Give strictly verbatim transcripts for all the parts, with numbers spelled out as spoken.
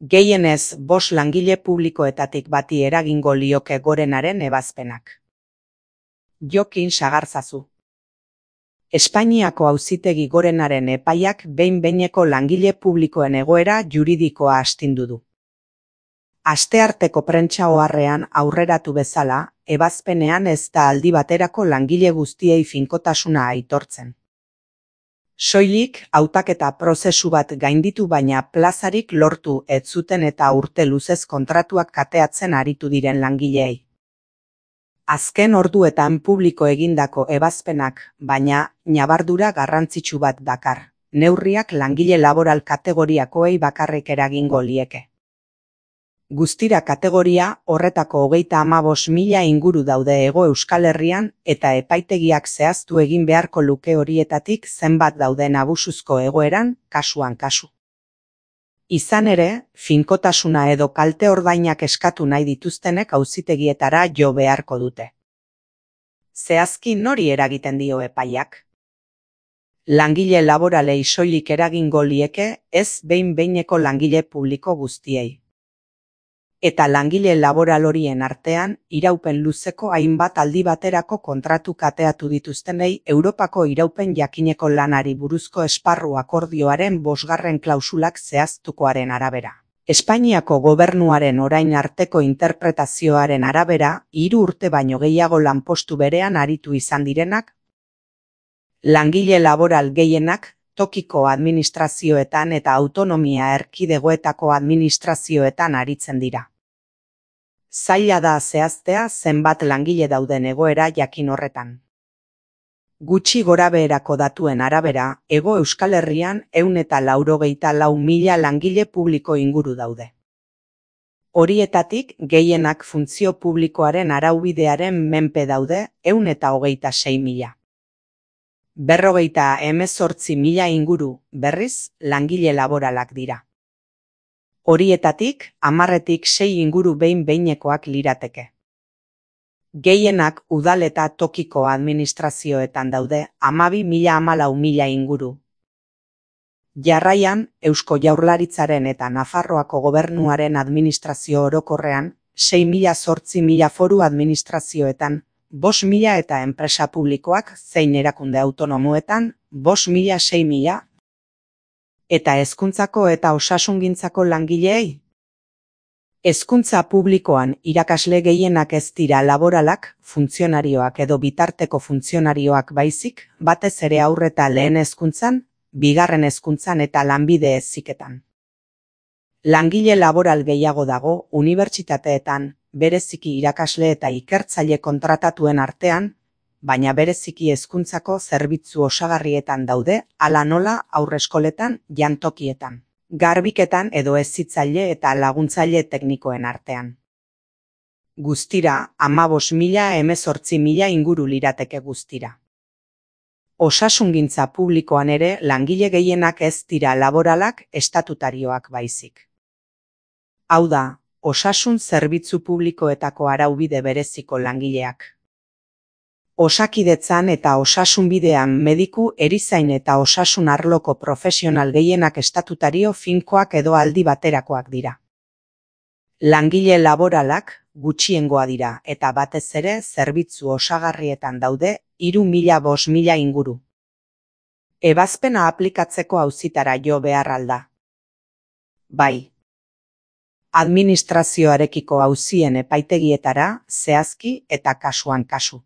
Gehienez bost langile publikoetatik bati eragingo lioke Gorenaren ebazpenak. Jokin Sagarzazu. Espainiako Auzitegi Gorenaren epaiak behin-behineko langile publikoen egoera juridikoa astindu du. Astearteko prentsa oharrean aurreratu bezala, ebazpenean ez da aldi baterako langile guztiei finkotasuna aitortzen. Soilik, hautaketa prozesu bat gainditu baina plazarik lortu ez zuten eta urte luzez kontratuak kateatzen aritu diren langileei. Azken orduetan publiko egindako ebazpenak, baina ñabardura garrantzitsu bat dakar. Neurriak langile laboral kategoriakoei bakarrik eragingo lieke. Guztira kategoria horretako hogeita hamabost mila inguru daude Hego Euskal Herrian eta epaitegiak zehaztu egin beharko luke horietatik zenbat dauden abusuzko egoeran, kasuan kasu. Izan ere, finkotasuna edo kalte ordainak eskatu nahi dituztenek auzitegietara jo beharko dute. Zehazki nori eragiten dio epaiak? Langile laboralei soilik eragingo lieke, ez behin-behineko langile publiko guztiei. Eta langile laboral horien artean, iraupen luzeko hainbat aldi baterako kontratu kateatu dituztenei Europako iraupen jakineko lanari buruzko esparru akordioaren bosgarren klausulak zehaztukoaren arabera. Espainiako gobernuaren orain arteko interpretazioaren arabera, hiru urte baino gehiago lanpostu berean aritu izan direnak, langile laboral gehienak, tokiko administrazioetan eta autonomia erkidegoetako administrazioetan aritzen dira. Zaila da zehaztea zenbat langile dauden egoera jakin horretan. Gutxi gorabeherako datuen arabera, Hego Euskal Herrian ehun eta laurogeita lau mila langile publiko inguru daude. Horietatik gehienak funtzio publikoaren araubidearen menpe daude ehun eta hogeita sei mila. Berrogeita hemezortzi mila inguru, berriz, langile laboralak dira. Horietatik, hamarretik sei inguru behin-behinekoak lirateke. Gehienak udal eta tokiko administrazioetan daude, hamabi mila hamalau mila inguru. Jarraian, Eusko Jaurlaritzaren eta Nafarroako gobernuaren administrazio orokorrean, sei mila zortzi mila foru administrazioetan, bost mila eta enpresa publikoak zein erakunde autonomoetan, bost mila sei mila, eta hezkuntzako eta osasungintzako langileei. Hezkuntza publikoan irakasle gehienak ez dira laboralak, funtzionarioak edo bitarteko funtzionarioak baizik, batez ere haur eta lehen hezkuntzan, bigarren hezkuntzan eta lanbide heziketan. Langile laboral gehiago dago unibertsitateetan, bereziki irakasle eta ikertzaile kontratatuen artean, baina bereziki hezkuntzako zerbitzu osagarrietan daude, hala nola haurreskoletan, jantokietan, garbiketan edo hezitzaile eta laguntzaile teknikoen artean. Guztira, hamabost mila hemezortzi mila inguru lirateke guztira. Osasungintza publikoan ere langile gehienak ez dira laboralak estatutarioak baizik. Hau da, osasun zerbitzu publikoetako araubide bereziko langileak. Osakidetzan eta osasunbidean mediku, erizain eta osasun arloko profesional gehienak estatutario finkoak edo aldi baterakoak dira. Langile laboralak gutxiengoa dira eta batez ere zerbitzu osagarrietan daude hiru mila bost mila inguru. Ebazpena aplikatzeko auzitara jo behar alda. Bai. Administrazioarekiko auzien epaitegietara, zehazki eta kasuan kasu.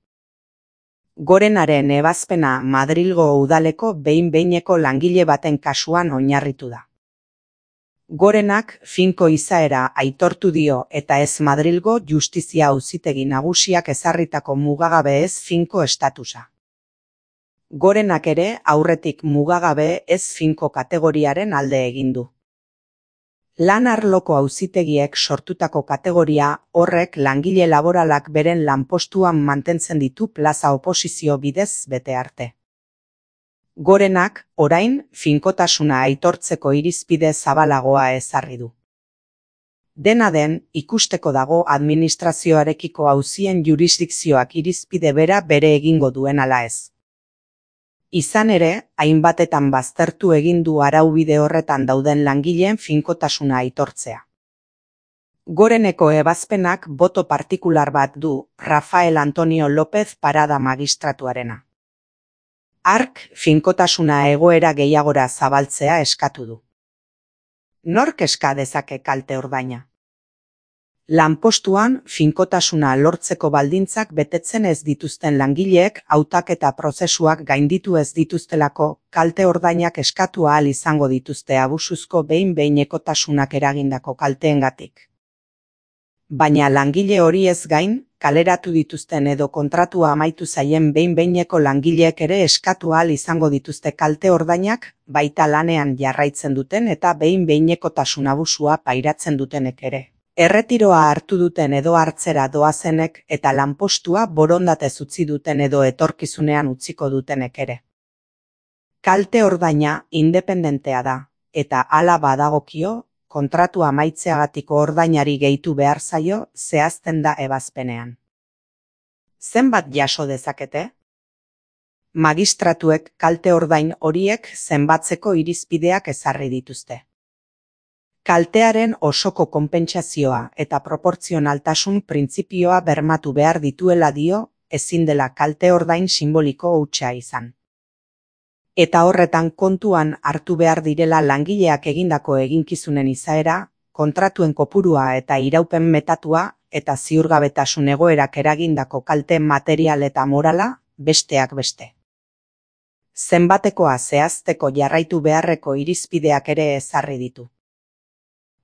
Gorenaren ebazpena Madrilgo udaleko behin-behineko langile baten kasuan oinarritu da. Gorenak finko izaera aitortu dio eta ez Madrilgo justizia auzitegi nagusiak ezarritako mugagabe ez finko estatusa. Gorenak ere aurretik mugagabe ez finko kategoriaren alde egin du. Lan arloko auzitegiek sortutako kategoria horrek langile laboralak beren lanpostuan mantentzen ditu plaza oposizio bidez bete arte. Gorenak, orain, finkotasuna aitortzeko irizpide zabalagoa ezarri du. Dena den, ikusteko dago administrazioarekiko auzien jurisdikzioak irizpide bera bere egingo duen ala ez. Izan ere, hainbatetan baztertu egin du araubide horretan dauden langileen finkotasuna aitortzea. Goreneko ebazpenak boto partikular bat du Rafael Antonio López Parada magistratuarena. Hark finkotasuna egoera gehiagora zabaltzea eskatu du. Nork eska dezake kalte ordaina? Lanpostuan finkotasuna lortzeko baldintzak betetzen ez dituzten langileek hautaketa prozesuak gainditu ez dituztelako kalte ordainak eskatu ahal izango dituzte abusuzko behin-behinekotasunak eragindako kalteengatik. Baina langile hori ez gain, kaleratu dituzten edo kontratua amaitu zaien behin-behineko langileek ere eskatu ahal izango dituzte kalte ordainak, baita lanean jarraitzen duten eta behin-behinekotasun abusua pairatzen dutenek ere. Erretiroa hartu duten edo hartzera doazenek eta lanpostua borondatez utzi duten edo etorkizunean utziko dutenek ere. Kalte ordaina independentea da, eta hala badagokio, kontratua amaitzeagatiko ordainari gehitu behar zaio zehazten da ebazpenean. Zenbat jaso dezakete? Magistratuek kalte ordain horiek zenbatzeko irizpideak ezarri dituzte. Kaltearen osoko konpentsazioa eta proportzionaltasun printzipioa bermatu behar dituela dio, ezin dela kalte ordain sinboliko hutsa izan. Eta horretan kontuan hartu behar direla langileak egindako eginkizunen izaera, kontratuen kopurua eta iraupen metatua eta ziurgabetasun egoerak eragindako kalte material eta morala, besteak beste. Zenbatekoa zehazteko jarraitu beharreko irizpideak ere ezarri ditu.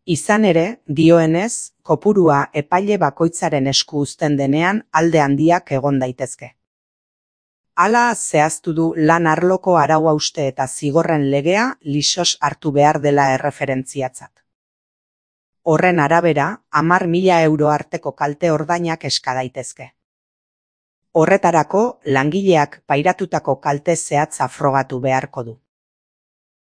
Izan ere, dioenez, kopurua epaile bakoitzaren esku uzten denean alde handiak egon daitezke. Hala zehaztu du lan arloko arau-hauste eta zigorren legea lisos hartu behar dela erreferentziatzat. Horren arabera, hamar mila euro arteko kalte ordainak eska daitezke. Horretarako, langileak pairatutako kalte zehatza frogatu beharko du.